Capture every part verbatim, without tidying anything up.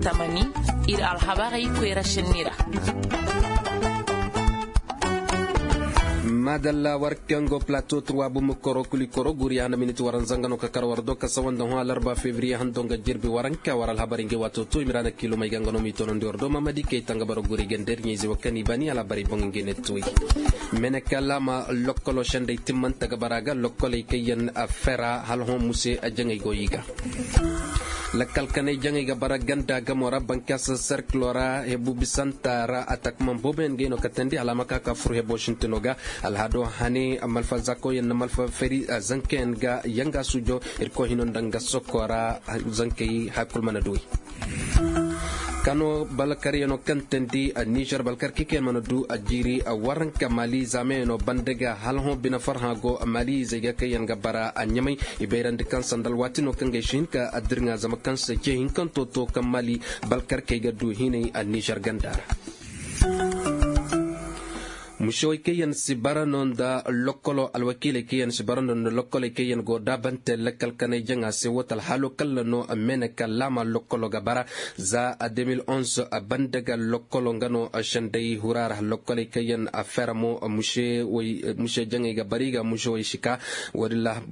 Tamani, ir alhabarey koyra senni ra. Madalla war kaŋ go plateau trois bumbu koro kuli koro guri ya na miniti waranza nga no ka kar war do ka sawa nda hõ alarba février hando nga jirbi waranka war alhabarey ngey waato to i ma ra na kiilumey ga nga no m'i toonandi war do mamadi kay tanga boro guri ga nda ir ɲayze wo kaŋ i bani alhabarey boŋ ngey ne toy. Mene ka laama lokkolo sendey timmante ga bara ga lokkoley kaŋ yaŋ a fera hala hõ muse jaŋey go i ga. Lakkal kanay jaŋay ga bara ganda gamo ra bankas serkilo ra hebu bisanta ra atakman booboyaŋ gay no katandi hala a ma ka ka fur hebo sintino ga. Alhado hane malfa zakoyaŋ na malfa feri zankayaŋ ga yanga sujo. Irkoy hino nda nga sokko ra zankey hakul mana duwey. Kano balkaryaŋo kaŋ tandi nizer balkar kikeyaŋ mana du a jiiri a waranka mali zaamayaŋo banda ga hala hõ bine farhã go mali izey ga kaŋ yaŋ ga bara a ɲamay. I bayrandi kaŋ sanda alwaati no kaŋ ga ay si hin ka addirŋa zama kaŋ se ce hinkanto to kaŋ mali balkarkey ga du hinay a nizer ganda ra. Musewey kaŋ yaŋ si bara no nda lokkolo alwakiiley kaŋ yaŋ si bara no nda lokkoley kaŋ yaŋ go daabante lakkal kanay jaŋa se woo ta alhaalo kalla no a meeneka laama lokkolo ga bara. Za a deux mille onze a banda ga lokkolo nga no a senday hura ra lokkoley kaŋ yaŋ a fera mo muse jaŋey ga bara i ga musewey si ka. Woodin ra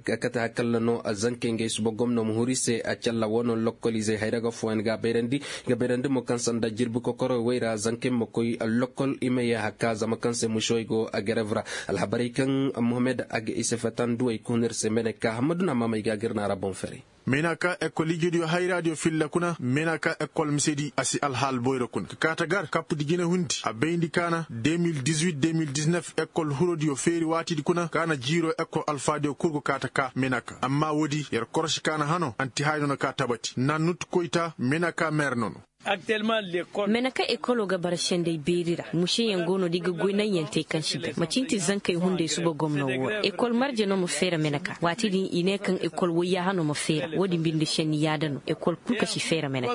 kate hakalla no a zankey ngey suba gomno ma huru i se a calla woo no lokkolizey hayra ga fooyaŋ ga a bayrandi. I ga bayrandi mo kaŋ sanda jirbi kokoro wey ra zankey ma koy lokkol i ma ye haka zama kaŋ se musewey go a gerev ra. Alhabarey kaŋ mohammed a ga i se fetanduwey ka hun ir se meeneka hammadu na maamey ga a ga ir na ra boŋ ferey. Meeneka ekol ijediyo hayraadiyo filla kuna meeneka ekol misedi a si alhaal boyro kuna ka kaata gar kappudi jine hundi a bayndi kaana deux mille dix-huit deux mille dix-neuf ekol hurodiyo feeri waatidi kuna kaana jiiro ekol alfaadiyo kul go kaata ka meeneka amma woodi yer korosi kaana hano anti haya no na ka tabati na nut koyta meeneka meer no no. Meneka ekolo ga bara senday beeri ra museyaŋ go no da i ga goy naŋyaŋ te kaŋ si bay macinti zankey hunday suba gomno woo ra ekol marje no ma feera meneka waati din i ne kaŋ ekol wayyaha no ma feera woodin binde senni yaada no ekol kul ka si feera meneka.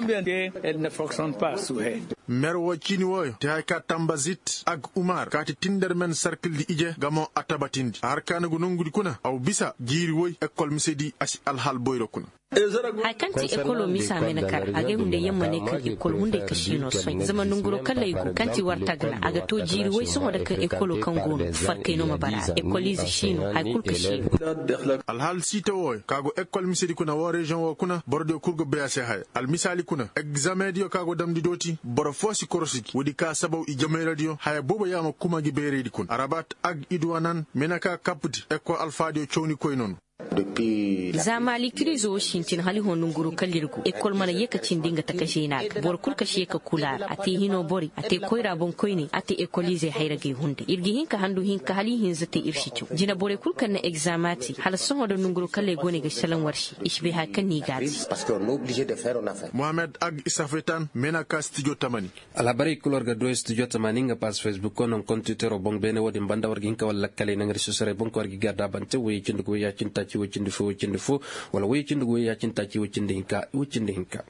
Mer woo ciini wooyo te haya ka tambazit ag umar kaati tinder men sarkildi ije gamo a tabatindi a har ka na go nongudi kuna aw bisa jiiri woy ekol misedi a si alhal boyro kuna. Haya kaŋ ti ekolo misa mene kar agay hunday yaŋ ma ne kaŋ ekol hunday ka siino soy zama nanguro kalley go kaŋ ti war tagna a ga to jiiri way sohõ nda kaŋ ekolo kaŋ go no farkay no ma bara a ra ekolize siino haya kulu ka siino. Alhaal siita wooyo ka go ekol misedi kuna woo reziyoŋ woo kuna borodiyo kul ga bay a se haya almisaali kuna egzameŋdiyo ka go damndi dooti boro foo si korosi gi woodi ka sabaw i jamayradiyo haya boobo yaama kuma gi bayraydi kuna arabat ag iduwanan mene ka kapdi ekol alfaadiyo cawnikoy no no. Za maali kiriizo wo sintin hala i hõ nanguro kala ir go ekol mana ye ka cindi nga taka zeena ga boro kul ka si ye ka kula a ra a te hino borey a te koyra boŋkoyney a te ekoliizey hayragey hunday ir ga hin ka handu hinka hala i hinza te ir si caw jinaborey kul kaŋ na egzama te hala sohõ nda nanguro kala i go no i ga salaŋ war se i si bay haya kaŋ no i ga a te. Mohammed ag isafetan mena ka stijo tamani. Alhabarey kul war ga du studio tamaani nga paas facebook ko naŋ kontitero boŋ beene wo-din banda war ga hin ka wala lakkaley naŋ reso soray boŋ ko war ga i ga daabante woyey cindi go woyey cindi taaci woy cindi fo woy cindi fo wala woyey cindi go woyey cindi taaci woy cindi hinka woy cindi hinka.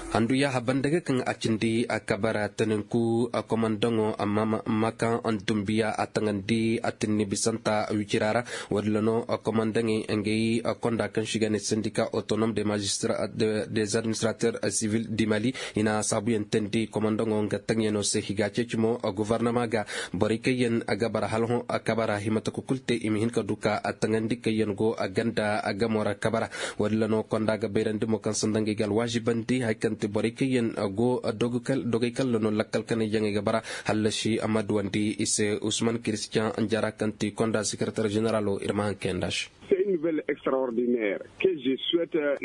Handu yaaha banda ga kaŋ a cindi a kabara taninku a komandaŋo amma ma kaŋ dumbiya a taŋandi a tinni bisanta wicira ra. Walla no komandaŋey ngey konda kaŋ si ga ne sendika otonom de magistrat des administrateur civil di mali i na saabuyaŋ teendi komandaŋo nga taŋyaŋo se i ga a ceeci mo gofornama ga. Borey kaŋ yaŋ ga bara hala hõ a kabara himata ka kulu te i ma hin ka du ka a taŋandi kaŋ yaŋ go a ganda a gamo ra kabara. Walla no konda ga bayrandi mo kaŋ sanda ngey ga alwaazibandi hari kaŋ ti borey kaŋ yaŋ go dogey kalla no lakkal kanay jaŋey ga bara. Hallasi a ma duwandi i se usman kiristiyan jara kaŋ ti konda sekereter jeneralo ir ma haŋ kayandi a se.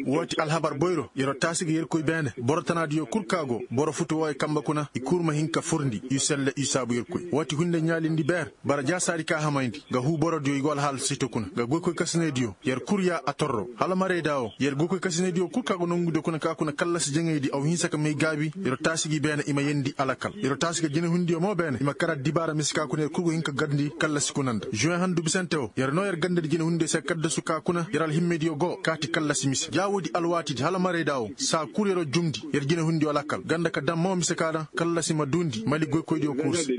Woo ti alhabar boyro yer'o taasi ga yerkoy beene boro tanaadiyo kul ka go boro futu wooyo kambe kuna i kul ma hin ka furndi i selle i saabu yerkoy woo ti hunday ɲaalindi beer bara jaasaadi ka hamayndi ga huu borodiyo i go alhaal site kuna ga goykoy kasinaydiyo yer kul ya a torro hala marayda woo yer goykoy kasinaydiyo kul ka go nongudiyo kuna ka kuna kallasi jaŋaydi aw hinsa ka may gaabi yer'o taasi gi beene i ma yeendi alakal yer'o taasi ga jinahundiyo mo beene i ma kar addibaara mise ka kuna yer kul go hin ka garndi kallasi kuna nda žuweŋ handu bisante woo yer noo yer gandadi jinahundiyo se kaddasu. Ka kuna yer alhimmediyo go kaati kallasi mise ja woodi alwaatidi hala marayda wo saa kul yeroo jumndi yer jinehundiyo lakkal ganda ka daŋ mo mise ka daŋ kallasi ma duundi mali goykoydiyo kul se.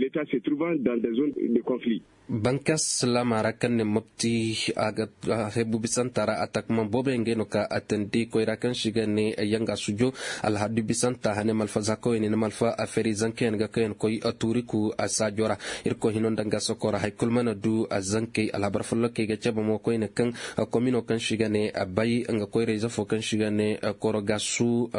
Bankas laama ra kaŋ ne mopti a ga hebu bisanta ra atakman booboyaŋ ga no ka atandi koyra kaŋ si ga ne yanga sujo alhadu bisanta hane malfa zakoyne na malfa aferi zankeyaŋ ga kaŋ yaŋ koy tuuriku a saajo ra. Irkoy hino nda nga sokora hay kul mana du a zankey alhabar follokey ga cabe mo koyne kaŋ komino kaŋ si ga ne bay nga koyra ize fo kaŋ si ga ne koro ga su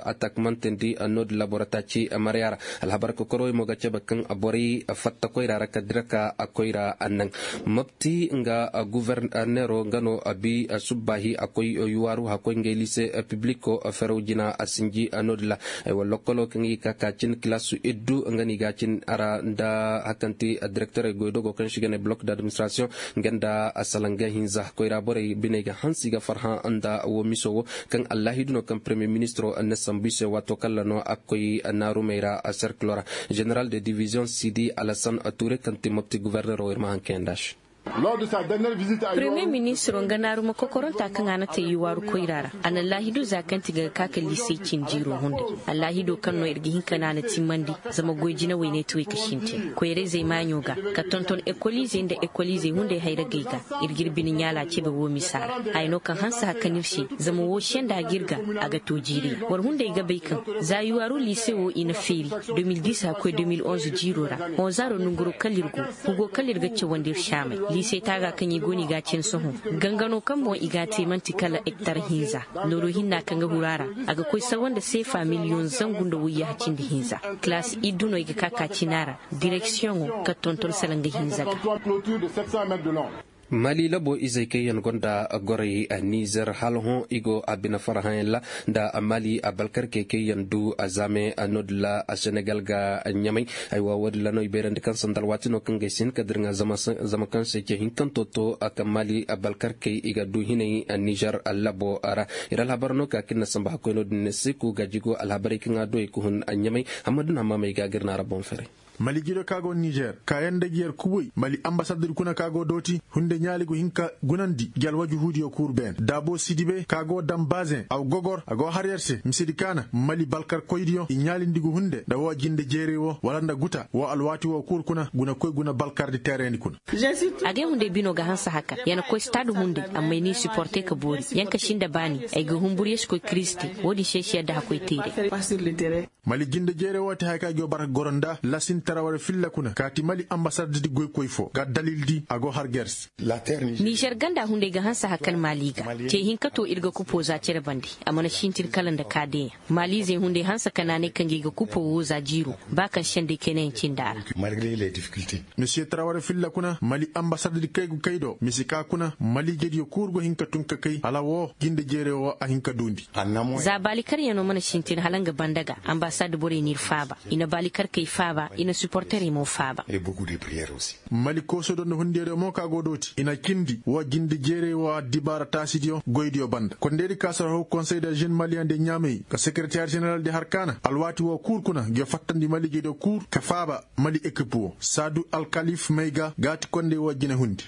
atakmantandi noodin laboro taaci marya ra. Alhabar kokorowey mo ga cabe kaŋ borey fatta koyra ra ka dira ka koyra naŋ. Mopti nga guwernero nga no a bi subbaahi a koy yuwaaru hakkoy ngey liise pibliko ferow jina a sinji noodin ra. Ay wa lokkolo kaŋ i ga ka ka cin kilasu iddu nga no i ga cin a ra nda hakanti direkterey goydogo kaŋ si ga ne blok d'administrasiyoŋ nga nda salanga hinza koyra borey biney ga hansi ga farhã nda wo miso wo kaŋ allahidu no kaŋ peremiye ministiro na sambu i se waato kaŋ ra no a ga koy naarumey ra serkilo ra. Jeneral de diviziyoŋ sidi alasan ture kaŋ ti mopti guwernero ir ma haŋ kayanda se. Peremiye ministiro nga naaruma kokoronta kaŋ a na te yuwaaru koyra ra a na laahidu za kaŋ ti ga ga ka ka liisey cin jiiro hunday. Allaahido kaŋ no ir ga hin ka naana timmandi zama goy jinawey ne ti wey ka sintin koyra-izey maaɲo ga ka tonton ekol-izey nda ekol-izey hunday hayragey ga. Ir ga ir bine ɲaala cebe wo misa ra haya no kaŋ hanse hakkan ir se zama wo senda ga ir ga a ga to jiiri yaŋ war hunday ga bay kaŋ za yuwaaru liise wo i na feeri de mil dis hakkoy de mil onze jiiro ra honzaaro nanguro kala ir go hugo kala ir ga cawandi ir saamay liisey taaga kaŋ i go no i ga a cin sohõ. Gangano kaŋ boŋ i ga a te man'ti kala ektar hinza nooru hinna kaŋ ga huru a ra a ga koy sawa nda seefa miliyoŋ zangu nda wayyaha cindi hinza. Kilaasi iddu no i ga ka ka cina ra direksiyoŋo kaŋ tonton salanga hinza ga. Mali labo izey kaŋ yaŋ gonda goray nizer hala hõ i go a bine farhãyaŋ ra nda mali abalkarkey kaŋ yaŋ du a zaame noodin ra senegal ga ɲamay. Haywa woodin ra no i bayrandi kaŋ sanda alwaati no kaŋ ga ay si hin ka dirŋa zama kaŋ se ce hinkanto to kaŋ mali abalkarkey i ga du hinay nizer labo ra. Ir alhabar no ka kaŋ ir na samba hakkoy no-din ne seku gaaji go alhabarey kaŋ a du ay ka hun ɲamay. Hammadu na hammamey ga ga ir na ra boŋ fere. Mali jido ka go nizer kaayaŋ nda gi yer kuboy mali ambasador kuna ka go dooti hunde ɲaali go hin ka gunandi gi alwajuhuudiyo kuur beene daabo sidibe ka go daŋ baazeŋ a go gogor a go har yer se misedi kaana mali balkarkoydiyo i ɲaalindi go hunde nda woo jinde jeerey woo wala nda guta woo alwaati woo kuur kuna guna koy guna balkardi teerayndi kuna. Agay hunday bino ga hanse haka ya na koy stade hunday amma ay n'i siporte ka boori. Yanka sinda baani ay ga humbur ya si koy kiristi. Woodin se ay si yadda hakoy teeray. Mali jinde jeere woo ti haya ka ay go bara goro nda lasin taraware filla kuna kaati mali ambasaddi goykoy foo ga dalildi a go har ga yer se. Nizer ganda hunday ga hanse hakan mali ga ce hinka to ir ga kupoo za cere bande. A mana sintin kala nda kaadeyaŋ maliizey hunday hanse ka naanay kaŋ ga i ga kupoo woo za jiiroo ba kaŋ sendey kaynayaŋ cindi a ra. Misiye taraware filla kuna mali ambasaddi kay ga kay do misi ka kuna maliijediyo kul go hin ka tun ka kay hala woo jinde jeere woo a hin ka duundi. Za baali karyaŋo mana sintin hala nga banda ga. Ambasad borey n'ir faaba i na baali karkey faaba i na siporterey mo faaba. Mali kooso do nda hundeeriyo mo ka go dooti i na cindi woo jinde jeerey woo addibaara taasidiyo goydiyo banda kondeedi ka sara haw konsey de žen maliyaŋ de ɲaamey ka sekereteer ženeral de har kaana alwaati woo kul kuna nge fattandi maliijediyo kul ka faaba. Mali ekip woo saadu alkalif may ga gaati kondey woo jine hundi.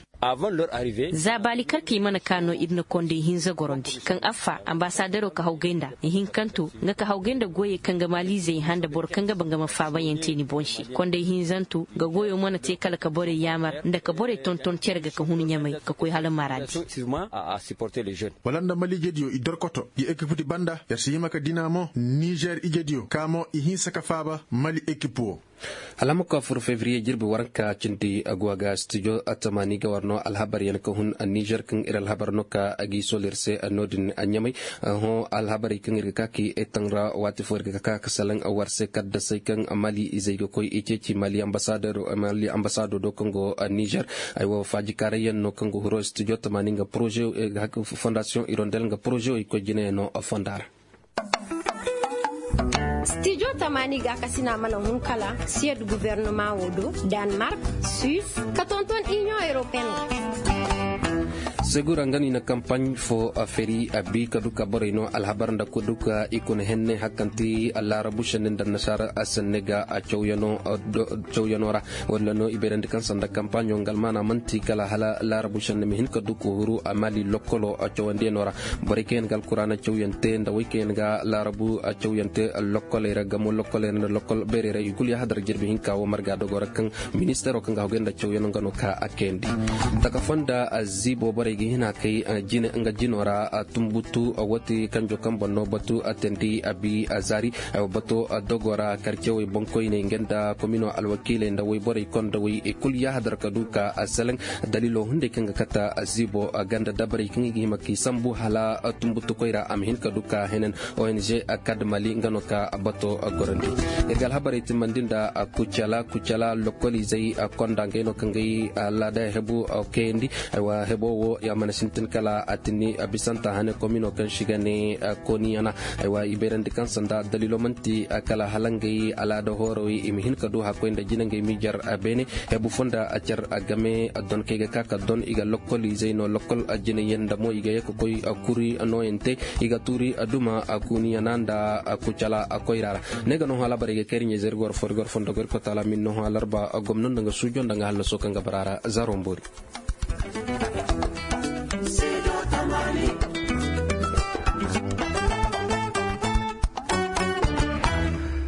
Za baali karkey mana kaa no ir na kondey hinza gorondi kaŋ affa ambasadero ka hawgay nda ihinkanto nga ka hawgay nda goyey kaŋ ga maaliizey hã nda boro kaŋ ga ba nga ma faabayaŋ te ni boŋ se kondey hinzanto nga goyo mana te kala ka borey yaamar nda ka borey tonton cere ga ka hun ɲamay ka koy hala maradi. Wala nda mali ijediyo i dorkoto i ekipdi banda yer si hima ka dina mo nizer ijediyo ka mo i hinsa ka faaba mali ekip woo. Alhamakwa fur fevriye jirbi waranka cindi aguwa ga stijo atamani ga war no alhabar yan ka hun nizer kaŋ ir alhabar no ka agi solir se no-din a ɲamay. Hõ alhabarey kaŋ ir ga ka ki etan ra waati fo ir ga ka ka salaŋ war se kaddasey kaŋ mali izey ga koy i ceeci mali ambasado do kaŋ go nizer. Ay wo faajikaaray yan no kaŋ go huro stijo atamani nga poroze fondasiyoŋ irondel nga poroze wo i koy jine no fonda ra. Stijo tamaani gaakasina mana hun kala siyad guvernama wo do danmark, suis ka tonton inion europeen. Segura nga no i na kampaaɲ fo feri a bi ka du ka borey no alhabar nda ka du ka i kuna henne hakkanti laarabu senne nda nasaara senne ga cawyano ra. Walla no i bayrandi kaŋ sanda kampaaɲo nga almaana man'ti kala hala laarabu senne ma hin ka du ka huru a maali lokkolo cawandiyanoo ra. Borey kaŋ yaŋ ga alkuraana cawyante nda wey kaŋ yaŋ ga laarabu cawyante lokkoley ra gamo lokkoley ra nda lokkol bayrey ra i kulu yaahadar jirbi hinka wo marga dogo ra kaŋ ministeero kaŋ ga haguy nda cawyaŋ nga no ka a kayandi. Taka fonda ziibo borey ga hin a kay nga jino ra. Tumbutu wati kanjo kaŋ boŋ no batu a teendi a bi a zaari. Bato dogo ra karcewey boŋkoyney nga nda komino alwakiiley nda woyborey kondowey i kulu yaahadar ka du ka a seleŋ. Daliilo hunday kaŋ ga kata ziibo ganda dabarey kaŋ i ga hima k'i sambu hala tumbutukoy ra a ma hin ka du ka henen. Ong kad mali nga no ka bato gorandi. Ir ga alhabarey timmandi nda kucala kucala lokolizey konda ngey no kaŋ gay alaada hebu kayandi. Aywa hebo wo ya mana sintin kala a tinni bisanta hane komino kaŋ si ga ne koniyana. Aywa i bayrandi kaŋ sanda daliilo manti kala hala ngey alaada hoorowey i ma hin ka du hakkoy nda jina ngey miijar beene. Hebu fo nda a car a game a don kaŋ i ga ka ka don i ga lokol izey no lokol a jinayaŋ nda mo i ga ye ka koy a kuri nooyaŋ te. I ga tuuri a duma a kuuniyana nda a kucala a koyra ra. Ne ga nohõ alabara i ga kayri ɲeezey ir ga war fo ir ga war fo nda goy ir kotaala min nohõ alarba a gomno nda nga suujo nda nga halaso kaŋ ga bara ra zaro mboori.